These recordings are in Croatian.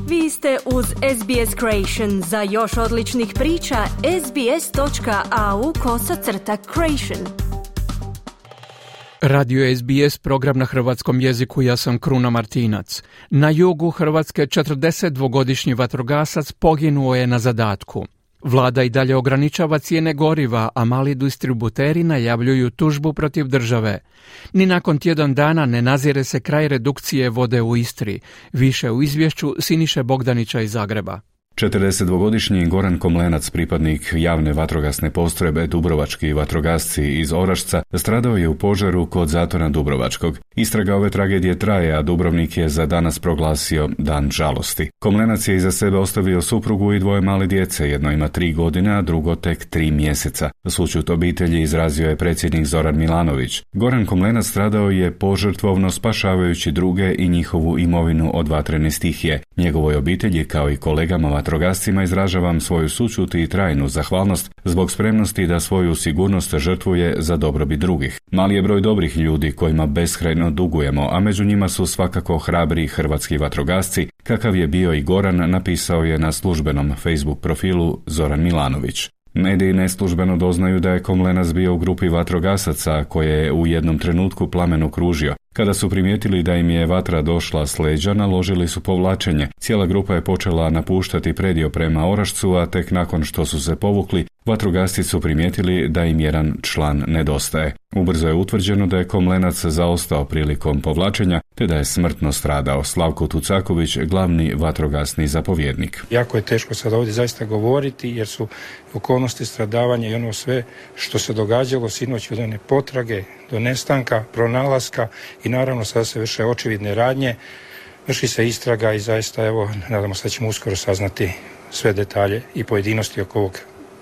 Vi ste uz SBS Creation. Za još odličnih priča, sbs.au/creation. Radio SBS, program na hrvatskom jeziku, ja sam Kruna Martinac. Na jugu Hrvatske 42-godišnji vatrogasac poginuo je na zadatku. Vlada i dalje ograničava cijene goriva, a mali distributeri najavljuju tužbu protiv države. Ni nakon tjedan dana ne nazire se kraj redukcije vode u Istri. Više u izvješću Siniše Bogdanića iz Zagreba. 42-godišnji Goran Komlenac, pripadnik javne vatrogasne postrojbe Dubrovački vatrogasci iz Orašca, stradao je u požaru kod zatvora Dubrovačkog. Istraga ove tragedije traje, a Dubrovnik je za danas proglasio dan žalosti. Komlenac je iza sebe ostavio suprugu i dvoje male djece, jedno ima 3 godine, a drugo tek 3 mjeseca. Sućut obitelji izrazio je predsjednik Zoran Milanović. Goran Komlenac stradao je požrtvovno spašavajući druge i njihovu imovinu od vatrene stihije. Njegovoj obitelji, kao i kolegama vatrogascima, izražavam svoju sućut i trajnu zahvalnost zbog spremnosti da svoju sigurnost žrtvuje za dobrobit drugih. Mali je broj dobrih ljudi kojima beskrajno dugujemo, a među njima su svakako hrabri hrvatski vatrogasci, kakav je bio i Goran, napisao je na službenom Facebook profilu Zoran Milanović. Mediji neslužbeno doznaju da je Komlenac bio u grupi vatrogasaca koje je u jednom trenutku plamen okružio. Kada su primijetili da im je vatra došla s leđa, naložili su povlačenje. Cijela grupa je počela napuštati predio prema Orašcu, a tek nakon što su se povukli, vatrogasci su primijetili da im jedan član nedostaje. Ubrzo je utvrđeno da je Komlenac zaostao prilikom povlačenja, te da je smrtno stradao. Slavko Tucaković, glavni vatrogasni zapovjednik. Jako je teško sad ovdje zaista govoriti, jer su okolnosti stradavanja i ono sve što se događalo sinoć od one potrage do nestanka, pronalaska i naravno sada se vrše očevidne radnje, vrši se istraga i zaista evo, nadamo se da ćemo uskoro saznati sve detalje i pojedinosti oko ovog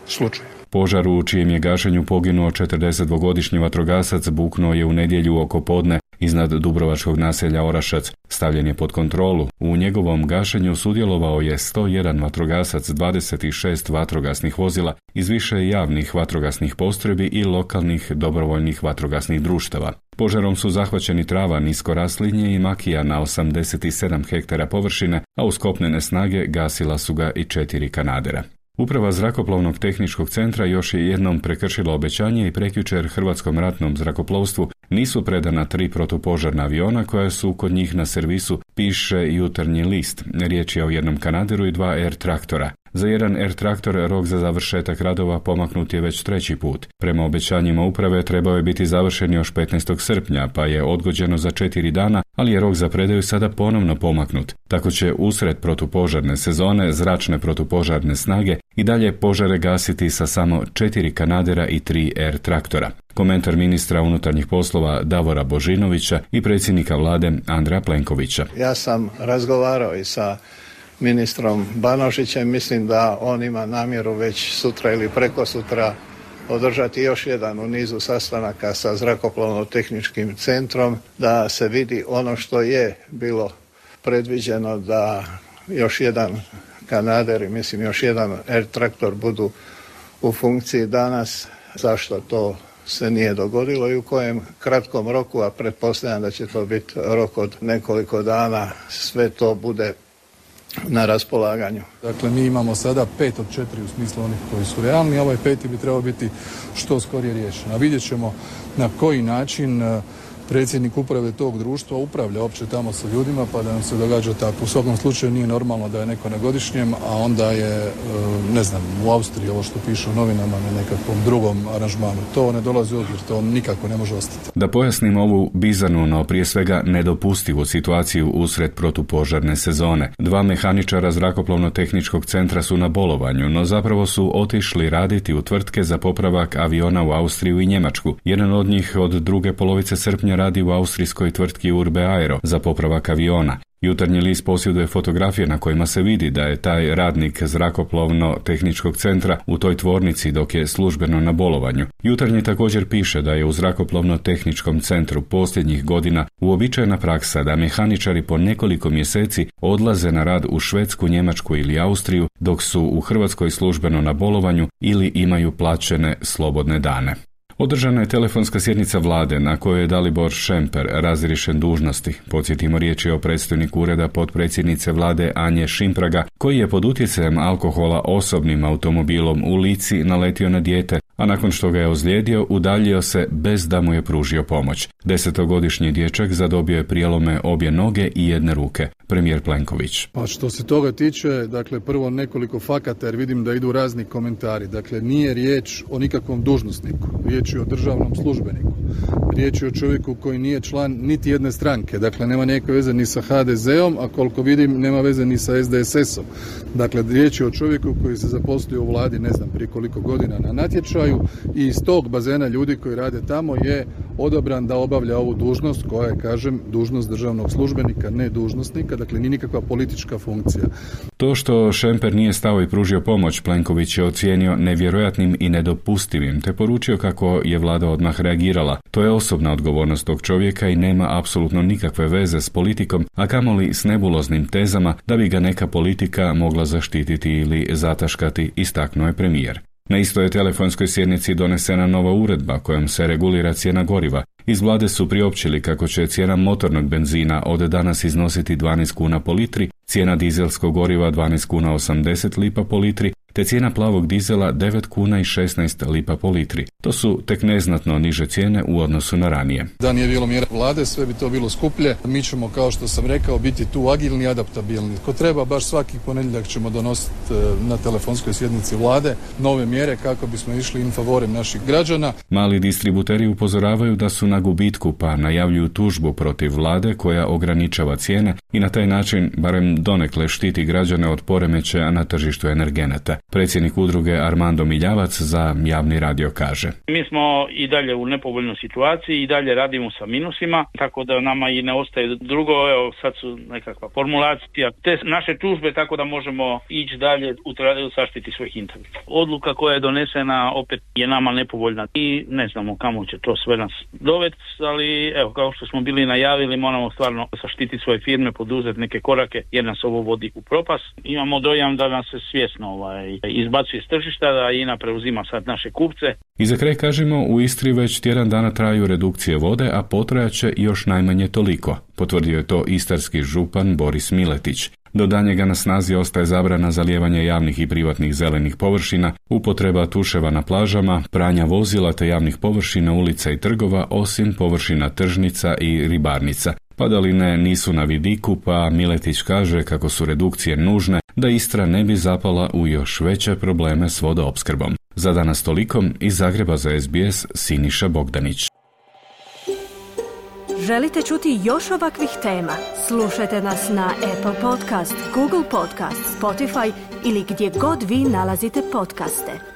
slučaja. Požar u čijem je gašenju poginuo 42-godišnji vatrogasac buknuo je u nedjelju oko podne iznad dubrovačkog naselja Orašac. Stavljen je pod kontrolu. U njegovom gašenju sudjelovao je 101 vatrogasac, 26 vatrogasnih vozila iz više javnih vatrogasnih postrojbi i lokalnih dobrovoljnih vatrogasnih društava. Požarom su zahvaćeni trava, nisko raslinje i makija na 87 hektara površine, a uz kopnene snage gasila su ga i 4 kanadera. Uprava Zrakoplovnog tehničkog centra još je jednom prekršila obećanje i prekjučer Hrvatskom ratnom zrakoplovstvu nisu predana 3 protupožarna aviona koja su kod njih na servisu, piše Jutarnji list. Riječ je o jednom kanaderu i 2 air traktora. Za jedan air traktor rok za završetak radova pomaknut je već 3. put. Prema obećanjima uprave trebao je biti završen još 15. srpnja, pa je odgođeno za 4 dana, ali je rok za predaju sada ponovno pomaknut. Tako će usred protupožarne sezone zračne protupožarne snage i dalje požare gasiti sa samo 4 kanadera i 3 air traktora. Komentar ministra unutarnjih poslova Davora Božinovića i predsjednika vlade Andreja Plenkovića. Ja sam razgovarao i sa ministrom Banožićem, mislim da on ima namjeru već sutra ili prekosutra održati još jedan u nizu sastanaka sa Zrakoplovno-tehničkim centrom, da se vidi ono što je bilo predviđeno, da još jedan kanader i mislim još jedan air traktor budu u funkciji danas. Zašto to se nije dogodilo i u kojem kratkom roku, a pretpostavljam da će to biti rok od nekoliko dana, sve to bude na raspolaganju. Dakle, mi imamo sada 5 od 4 u smislu onih koji su realni, a ovaj 5. bi trebao biti što skorije riješen. A vidjet ćemo na koji način predsjednik uprave tog društva upravlja opće tamo sa ljudima, pa da nam se događa tako. U svakom slučaju nije normalno da je neko na godišnjem, a onda je, ne znam, u Austriji ovo što piše u novinama na nekakvom drugom aranžmanu. To ne dolazi u obzir, to nikako ne može ostati. Da pojasnim ovu bizarnu, no prije svega nedopustivu situaciju usred protupožarne sezone. 2 mehaničara Zrakoplovno-tehničkog centra su na bolovanju, no zapravo su otišli raditi u tvrtke za popravak aviona u Austriju i Njemačku. Jedan od njih od druge polovice srpnja radi u austrijskoj tvrtki Urbe Aero za popravak aviona. Jutarnji list posjeduje fotografije na kojima se vidi da je taj radnik Zrakoplovno-tehničkog centra u toj tvornici dok je službeno na bolovanju. Jutarnji također piše da je u Zrakoplovno-tehničkom centru posljednjih godina uobičajena praksa da mehaničari po nekoliko mjeseci odlaze na rad u Švedsku, Njemačku ili Austriju dok su u Hrvatskoj službeno na bolovanju ili imaju plaćene slobodne dane. Održana je telefonska sjednica vlade na kojoj je Dalibor Šemper razriješen dužnosti. Podsjetimo, riječ je o predstojniku ureda potpredsjednice vlade Anje Šimpraga, koji je pod utjecajem alkohola osobnim automobilom u Lici naletio na dijete, a nakon što ga je ozlijedio, udaljio se bez da mu je pružio pomoć. 10-godišnji dječak zadobio je prijelome obje noge i jedne ruke. Premijer Plenković. Pa što se toga tiče, dakle prvo nekoliko fakata jer vidim da idu razni komentari. Dakle, nije riječ o nikakvom dužnosniku, riječ je o državnom službeniku. Riječ je o čovjeku koji nije član niti jedne stranke, dakle nema nikakve veze ni sa HDZ-om, a koliko vidim nema veze ni sa SDSS-om. Dakle, riječ je o čovjeku koji se zaposlio u vladi ne znam prije koliko godina na natječaju i iz tog bazena ljudi koji rade tamo je odabran da obavlja ovu dužnost koja je, kažem, dužnost državnog službenika, ne dužnosnika, dakle nije nikakva politička funkcija. To što Šemper nije stao i pružio pomoć, Plenković je ocijenio nevjerojatnim i nedopustivim, te poručio kako je vlada odmah reagirala. To je osobna odgovornost tog čovjeka i nema apsolutno nikakve veze s politikom, a kamoli s nebuloznim tezama da bi ga neka politika mogla zaštititi ili zataškati, istaknuo je premijer. Na istoj telefonskoj sjednici donesena nova uredba kojom se regulira cijena goriva. Iz vlade su priopćili kako će cijena motornog benzina od danas iznositi 12 kuna po litri, cijena dizelskog goriva 12 kuna 80 lipa po litri, te cijena plavog dizela 9 kuna i 16 lipa po litri. To su tek neznatno niže cijene u odnosu na ranije. Da nije bilo mjera vlade, sve bi to bilo skuplje. Mi ćemo, kao što sam rekao, biti tu agilni i adaptabilni. Ko treba, baš svaki ponedjeljak ćemo donositi na telefonskoj sjednici vlade nove mjere kako bismo išli in favorem naših građana. Mali distributeri upozoravaju da su na gubitku, pa najavljuju tužbu protiv vlade koja ograničava cijene i na taj način barem donekle štiti građane od poremećaja na tržištu energenata. Predsjednik udruge Armando Miljavac za javni radio kaže: Mi smo i dalje u nepovoljnoj situaciji i dalje radimo sa minusima, tako da nama i ne ostaje drugo, evo sad su nekakva formulacija te naše tužbe, tako da možemo ići dalje u zaštiti svojih interesa. Odluka koja je donesena opet je nama nepovoljna i ne znamo kamo će to sve nas dovesti, ali evo, kao što smo bili najavili, moramo stvarno zaštiti svoje firme, poduzeti neke korake jer nas ovo vodi u propast. Imamo dojam da nas se svjesno izbacuje s tržišta, da INA preuzima sad naše kupce. I za kraj kažemo, u Istri već tjedan dana traju redukcije vode, a potrajat će još najmanje toliko. Potvrdio je to istarski župan Boris Miletić. Do daljnjega na snazi ostaje zabrana zalijevanja javnih i privatnih zelenih površina, upotreba tuševa na plažama, pranja vozila te javnih površina, ulica i trgova, osim površina tržnica i ribarnica. Padaline nisu na vidiku, pa Miletić kaže kako su redukcije nužne da Istra ne bi zapala u još veće probleme s vodoopskrbom. Za danas toliko, iz Zagreba za SBS Siniša Bogdanić. Želite čuti još ovakvih tema? Slušajte nas na Apple Podcast, Google Podcast, Spotify ili gdje god vi nalazite podcaste.